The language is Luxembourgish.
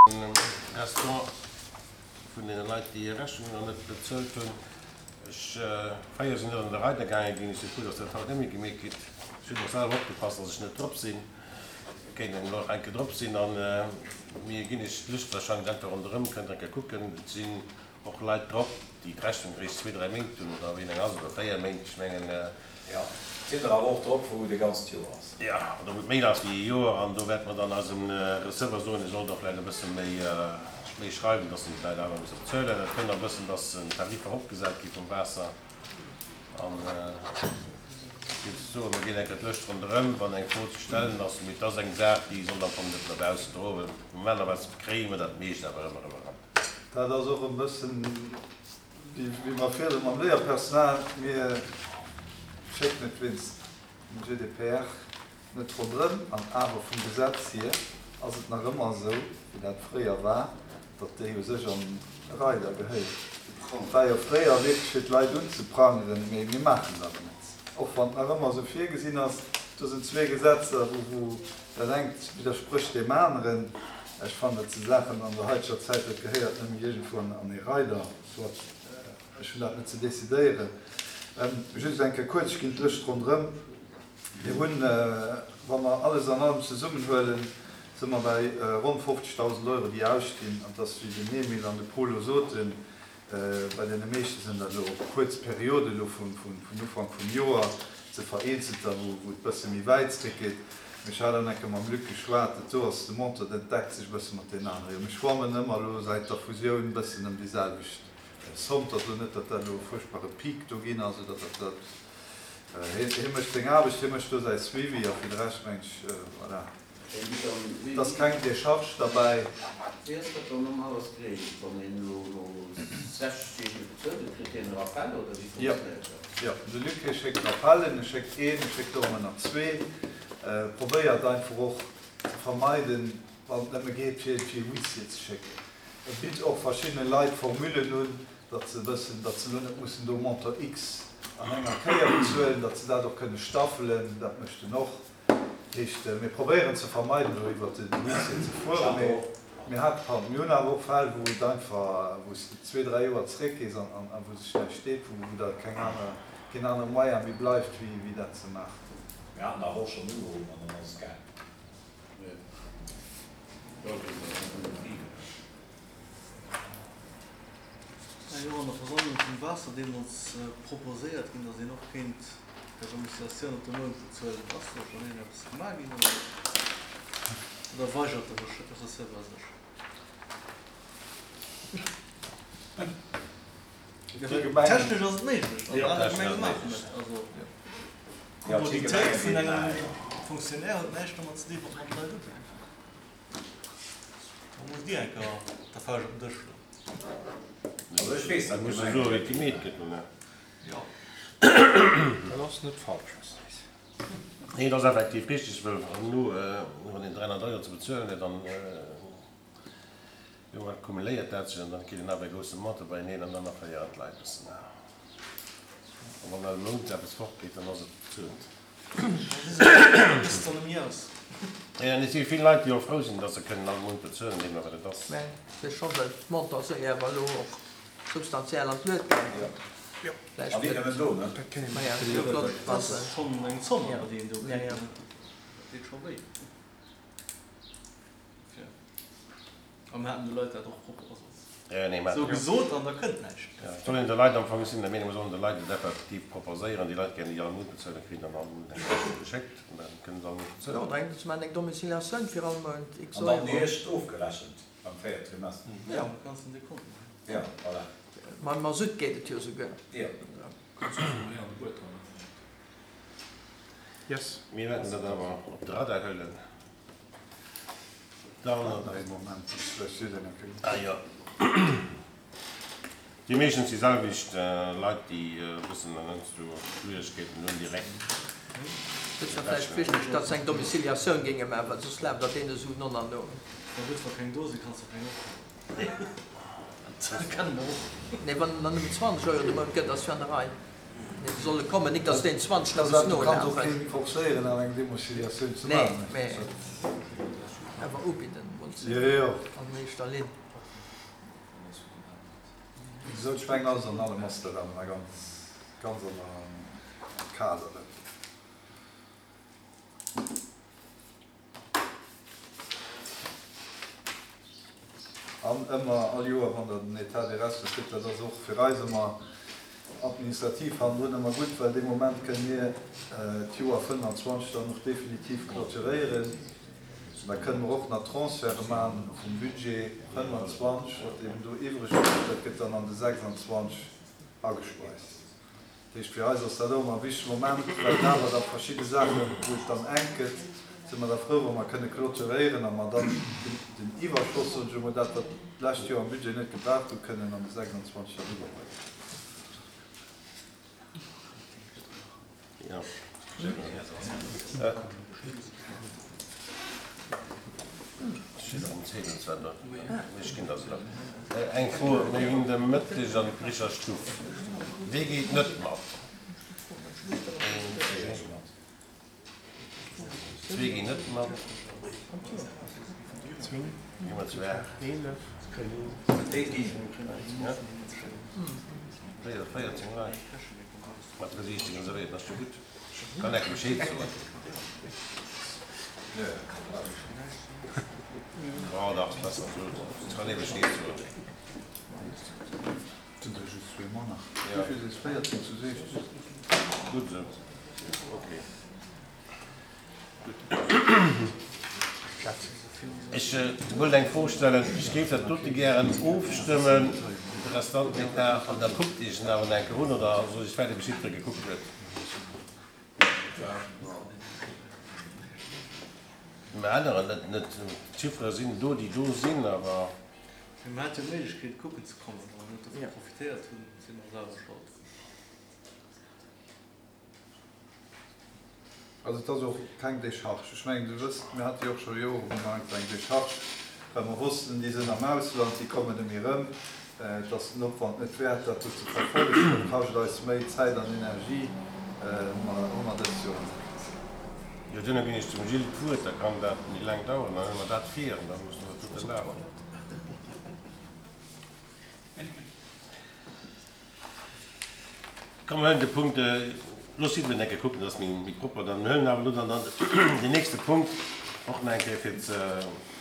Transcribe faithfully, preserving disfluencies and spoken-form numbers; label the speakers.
Speaker 1: Restant vun deene Leit, déi hir Rechnungen nach net bezuelt hunn. Ech, fréier sinn net an de Reider gaange ginn. Ech si frou, dass dat haut net méi gemeet gitt. Ech hunn och selwer opgepasst, dass ech net drop sinn. Et kéint een elo nach eng Kéier drop sinn. A mir ginn iech d'Lëscht wahrscheinlech einfach ronderëm, kënnt eng Kéier kucken. Et sinn och Leit drop, déi d'Rechnung eréischt zwee, dräi Méint hunn oder wéi laang ass et, oder véier Méint, ech mengen.
Speaker 2: Jo, et sinn der awer och drop, wou et e ganzt Joer ass.
Speaker 1: Jo, oder wou et méi ass wéi e Joer. An do wäerte mer dann eisem Receveur soen, e soll da vläicht e bësse méi, méi schreiwen, dass en d'Leit awer musse bezuelen. Et kënnt och e bëssen, dass den Tarif eropgesat gi vum Waasser. An ech géif soen, mir ginn eng Kéier d'Lëscht ronderëm, wann eng Fro ze stellen ass. Mee et ass eng Saach, déi soll am Fong net no bausse droen. Normalerweis kréie mer dat meescht awer ëmmer erëm eran.
Speaker 3: Dat ass och e bëssen wéi mer virdru mam Léierpersonal, mir schécken et wéinst dem G D P R net ronderëm an awer vum Gesetz hier ass et nach ëmmer esou, wéi dat fréier war, datt déi u sech an e Reider gehéieren. Et war jo fréier wierklech fir d'Leit unzeprangeren, mee mir maachen dat net, och wann et nach ëmmer esou virgesinn ass. Do sinn zwee Gesetzer, wou dat engt widdersprécht deem aneren. Ech fannen, dat si Saachen an der haiteger Zäit, dat gehéiert net méi iergendwou an ee Reider. Soit, ech hunn dat net ze decidéieren. Just eng Kéier kuerz, ech ginn d'Lëscht ronderëm. Mir hunn, wa mer alles an allem zesummenhuelen, si mer bei ronn fofzegdausend Euro, déi ausstinn. An et ass, wéi den Emile an de Polo soten, bei deene meeschte sinn dat elo kuerz Perioden elo vun Ufank vum Joer, se vereenzelter, wou et bësse méi wäit zréckgeet. Ech hat an enke mam Luc geschwat, dat do ass de Montant, dat deckt sech e bësse mat deenen anere. Jo, mir schwammen ëmmer elo säit der Fusioun e bëssen ëm déi selwecht Somme. Et ass elo net, datt dat elo e fuerchtbare Peak do ginn ass oder datt dat, hie, hie mécht seng Aarbecht, hie mécht do säi Suivi a fir de Rescht meng ech, voilà. Et ass keng Décharge derbäi.
Speaker 4: Wéi ass dat dann normalerweis geregelt, wann een elo no sechs Deeg net bezuelt huet, kritt hien e Rappel oder wéi funktionéiert dat?
Speaker 3: Jo, de Luc hie schéckt Rappellen, e schéckt een, e schéckt och ëmmer nach zwee. Probéiert einfach och ze vermeiden, wann et nëmme geet, fir fir e Huissier ze schécken. E bitt och verschiddene Leit Formulen un, datt se wëssen, datt se elo net mussen do Montant X an enger Kéier bezuelen, datt se dat och kënne staffelen. Dat mécht en och. Heescht, mir probéieren ze vermeiden, elo iwwert den Huissier ze fueren, mee mir hat, pardon, mir hunn awer och Fäll, wou et einfach, wou s de zwee, dräi Joer zeréckgees an a wou sech näischt deet, wou wou da keng aner, keen anere Moyen méi bleift, wéi wéi dat ze maachen.
Speaker 2: Mir haten awer och schonn ugeruff an dann ass et gaangen.
Speaker 5: War jo an der Versammlung vum Waasser deemools proposéiert ginn, datt een och kéint per Domiciliatioun op de Mount bezuelen. Ass do schonn iergendeppes gemaach ginn oder oder weigert de Receveur sech? Technesch ass et méiglech an aner Gemenge maachen et. Also d'Kommoditéit vun engem Fonctionnaire huet näischt domat ze dinn, wat mat Leit ugeet. Da musst Dir eng Kéier der Fauscht op den Dësch schloen.
Speaker 2: Also ech weess, dat
Speaker 1: Muss esou wéi et gemeet gëtt, oder?
Speaker 5: Jo.
Speaker 6: Dat ass net falsch, Här Seys.
Speaker 1: Nee, et ass effektiv richtig, well elo, wann een dräihonnert Euro ze bezuelen huet, dann jo, accumuléiert dat sech an dann kritt een awer e grousse Montant beieneen an dann erféieren d'Leit e bëssen. A wann all Mount eppes fortgeet, dann ass et bezuelt. Jo, et si vill Leit, déi och frou sinn, datt se kënnen all Mount bezuelen, deemno wat et ass.
Speaker 7: Mä et ass scho well d'Montant sou awer elo och substantiell an d'Luet gaangen.
Speaker 2: A wier nëmmen do, ne?
Speaker 7: Maja, et wier flott,
Speaker 5: Dat ass schonn eng Zomm, awer, déi een do kritt, ne? Dat deet scho wéi. A mir haten de Leit dat och sou gesot an da kënnt näischt.
Speaker 1: Et soll een de Leit am Fong, ech sinn der Meenung, mer sollen de Leit et effektiv proposéieren, déi Leit gär déi all Mount bezuelen, kritt dann all Mount eng Rechnung geschéckt an da kënnen se all Mount bezuelen.
Speaker 7: Jo, oder eng, ze maachen eng Domiciliatioun fir all Mount x
Speaker 2: An dann
Speaker 7: Euro.
Speaker 2: eréischt ofgerechent beim véiert Trimester.
Speaker 5: Jo, kanns den Dekont maachen.
Speaker 2: Jo, voilà.
Speaker 7: Mam Masutt geet et jo souguer.
Speaker 2: Jo.
Speaker 5: Kanns du vum Här an de Buet dran.
Speaker 6: Yes.
Speaker 1: Mir wäerten dat awer op de Radar huelen. Dann.
Speaker 3: Waart nach ee Moment, ech vläicht seet een eng Kéier.
Speaker 1: Ah jo. Déi meeschtens déi selwecht Leit, déi e bëssen heiansdo Schwieregkeeten hunn direkt.
Speaker 7: Et wär vläicht wichteg, datt se eng Domiciliatioun géinge maachen, well soss laaft dat deene Suen no an no.
Speaker 5: Ma gutt, wa keng do sinn, kanns de keng ophuelen. Dat kenne mer och.
Speaker 7: Nee, wann en der nëmmen zwanzeg Euro de Mount gëtt, ass jo an der Rei. Nee, se solle kommen, nik datt deen zwanzeg nach muss
Speaker 3: Du kanns och
Speaker 7: nolafen.
Speaker 3: keen forcéieren awer eng Domiciliatioun ze
Speaker 7: Nee,
Speaker 3: maachen.
Speaker 7: mee awer ubidden.
Speaker 3: Jo, jo.
Speaker 7: An éischter Linn.
Speaker 3: Wéi gesot, ech mengen, alles an allem ass dat awer nach ganz, ganz an der Kader. Dat. An ëmmer, all Joer, wann Der den État des restes kritt, dat ass och fir eis ëmmer administrativ hannendrun ëmmer gutt, well dee Moment kënne mir d'Joer fënnanzwanzeg dann och definitiv clôturéieren. Da kënne mer och nach Transferte maachen vum Budget fënnanzwanzeg, wat eben do iwwreg bleift, dat gëtt dann an de sechsanzwanzeg agespeist. Dat heescht, fir eis ass dat och ëmmer e wichtege Moment, well et awer da verschidde Saachen, wou et dann enk gëtt, si mer da frou, wa mer kënne clôturéieren a mer dann den Iwwerschoss, soen ech emol, dat wat d'lescht Joer am Budget net gebraucht hunn, kënnen an de sechsanzwanzeg dann iwwerbréngen.
Speaker 1: Eng Fro, Mir ginn de Mëtteg an d'Bricher Stuff. Wee geet net mat? Zwee ginn net mat. Gi mer zu aacht. Véierzéng Leit. Mat Resiichtegen esou wéi, dat ass jo gutt. Kann enke Bescheed soen. Oh dach, ass besser esou. Et kann ee Bescheed soen.
Speaker 3: Sinn der just zwee manner? Wéi vill si véierzéng zu siechzéng?
Speaker 1: Gutt esou. Okay. Gutt. Ech wollt eng Fro stellen. Ech géif dat dote gären ofstëmmen, de Restant d'État, an da kuckt Iech en awer nach eng Kéier un, oder soll ech waarde bis jiddweree gekuckt huet? Mer änneren net, net, d'Chiffere sinn do, déi do sinn, awer.
Speaker 5: Mee mer hate jo d'Méiglechkeet kucken ze kommen. Wa mer net dovun profitéiert hunn, si mer selwer Schold.
Speaker 3: Also et ass och keng Décharge. Ech mengen, Dir wësst, mir hate jo och scho jorelaang eng Décharge, well mer wossten, déi sinn am Ausland, déi kommen net méi erëm. Et ass den Opwand net wäert, dat do ze verfollegen. Dat kascht eis méi Zäit an Energie. Hu mer dëst Joer net.
Speaker 1: Jo, duerno ginn ech dem Gilles d'Wuert, da kann dat méi laang daueren. Dann hu mer dat vir an da musse mer dat dote lafen. Komm, mer huelen de Punkt, looss jiddwereen eng Kéier kucken, dat ass méi propper. Dann huelen awer elo dann deen nächste Punkt och nach eng Kéier fir ze.